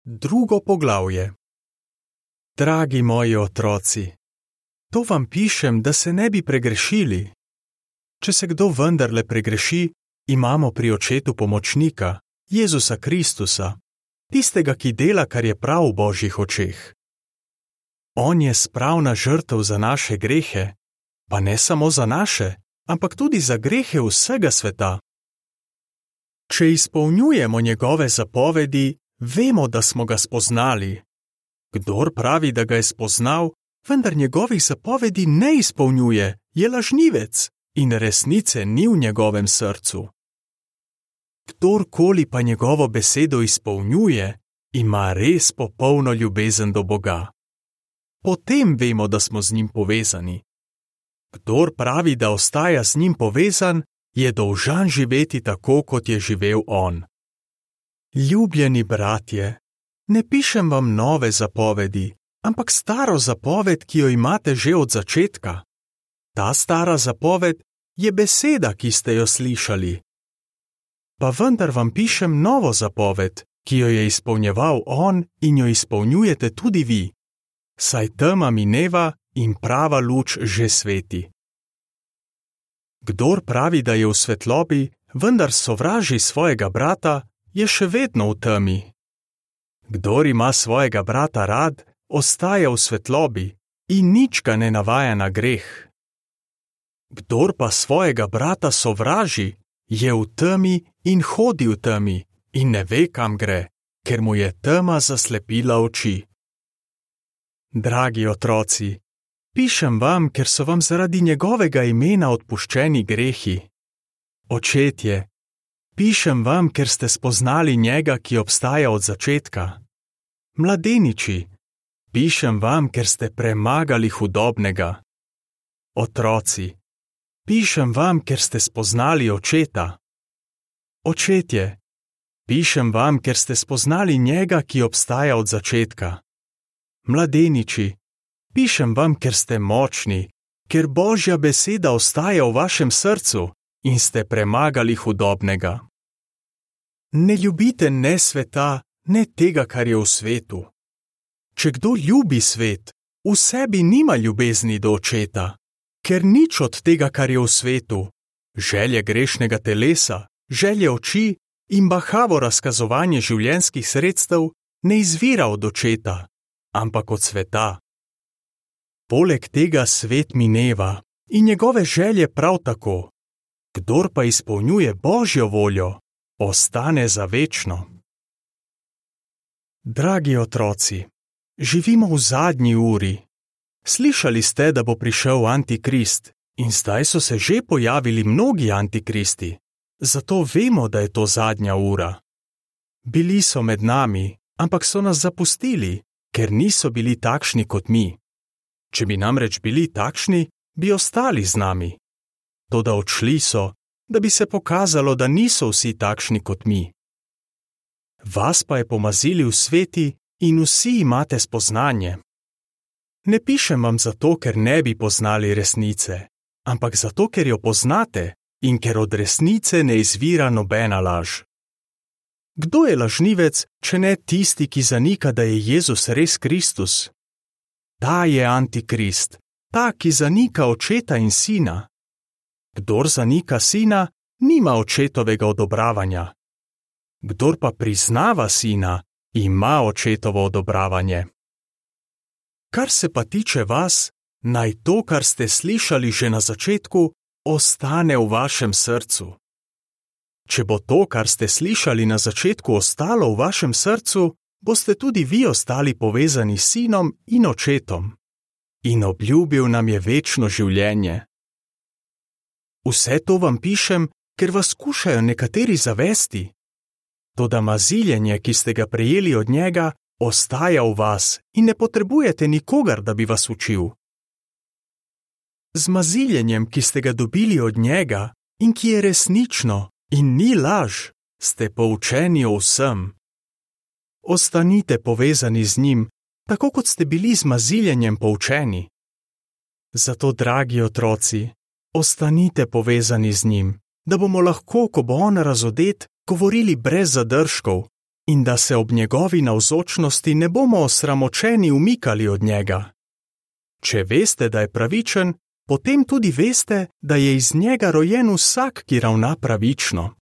Drugo poglavje. Dragi moji otroci, to vam pišem, da se ne bi pregrešili. Če se kdo vendarle pregreši, imamo pri Očetu pomočnika, Jezusa Kristusa, tistega, ki dela, kar je prav v Božjih očeh. On je spravna žrtev za naše grehe, pa ne samo za naše, ampak tudi za grehe vsega sveta. Če izpolnjujemo njegove zapovedi, vemo, da smo ga spoznali. Kdor pravi, da ga je spoznal, vendar njegovih zapovedi ne izpolnjuje, je lažnivec in resnice ni v njegovem srcu. Kdorkoli pa njegovo besedo izpolnjuje, ima res popolno ljubezen do Boga. Potem vemo, da smo z njim povezani. Kdor pravi, da ostaja z njim povezan, je dolžan živeti tako, kot je živel on. Ljubljeni bratje, ne pišem vam nove zapovedi, ampak staro zapoved, ki jo imate že od začetka. Ta stara zapoved je beseda, ki ste jo slišali. Pa vendar vam pišem novo zapoved, ki jo je izpolnjeval on in jo izpolnjujete tudi vi. Saj tema mineva in prava luč že sveti. Kdor pravi, da je v svetlobi, vendar sovraži svojega brata, je še vedno v temi. Kdor ima svojega brata rad, ostaja v svetlobi in nič ga ne navaja na greh. Kdor pa svojega brata sovraži, je v temi in hodi v temi in ne ve, kam gre, ker mu je tema zaslepila oči. Dragi otroci, pišem vam, ker so vam zaradi njegovega imena odpuščeni grehi. Očetje, pišem vam, ker ste spoznali njega, ki obstaja od začetka. Mladeniči, pišem vam, ker ste premagali hudobnega. Otroci, pišem vam, ker ste spoznali Očeta. Očetje, pišem vam, ker ste spoznali njega, ki obstaja od začetka. Mladeniči, pišem vam, ker ste močni, ker Božja beseda ostaja v vašem srcu in ste premagali hudobnega. Ne ljubite ne sveta, ne tega, kar je v svetu. Če kdo ljubi svet, v sebi nima ljubezni do Očeta, ker nič od tega, kar je v svetu, želje grešnega telesa, želje oči in bahavo razkazovanje življenjskih sredstev ne izvira od Očeta, ampak od sveta. Poleg tega svet mineva in njegove želje prav tako. Kdor pa izpolnjuje Božjo voljo, ostane za večno. Dragi otroci, živimo v zadnji uri. Slišali ste, da bo prišel Antikrist in zdaj so se že pojavili mnogi antikristi. Zato vemo, da je to zadnja ura. Bili so med nami, ampak so nas zapustili, ker niso bili takšni kot mi. Če bi namreč bili takšni, bi ostali z nami. Toda odšli so, da bi se pokazalo, da niso vsi takšni kot mi. Vas pa je pomazili v sveti in vsi imate spoznanje. Ne pišem vam zato, ker ne bi poznali resnice, ampak zato, ker jo poznate in ker od resnice ne izvira nobena laž. Kdo je lažnivec, če ne tisti, ki zanika, da je Jezus res Kristus? Ta je Antikrist, ta, ki zanika Očeta in Sina. Kdor zanika Sina, nima Očetovega odobravanja. Kdor pa priznava Sina, ima Očetovo odobravanje. Kar se pa tiče vas, naj to, kar ste slišali že na začetku, ostane v vašem srcu. Če bo to, kar ste slišali na začetku, ostalo v vašem srcu, boste tudi vi ostali povezani s Sinom in Očetom. In obljubil nam je večno življenje. Vse to vam pišem, ker vas skušajo nekateri zavesti. Toda maziljenje, ki ste ga prejeli od njega, ostaja v vas in ne potrebujete nikogar, da bi vas učil. Z maziljenjem, ki ste ga dobili od njega in ki je resnično in ni laž, ste poučeni o vsem. Ostanite povezani z njim, tako kot ste bili z maziljenjem poučeni. Zato, dragi otroci, ostanite povezani z njim, da bomo lahko, ko bo on razodet, govorili brez zadržkov, in da se ob njegovi navzočnosti ne bomo osramočeni umikali od njega. Če veste, da je pravičen, potem tudi veste, da je iz njega rojen vsak, ki ravna pravično.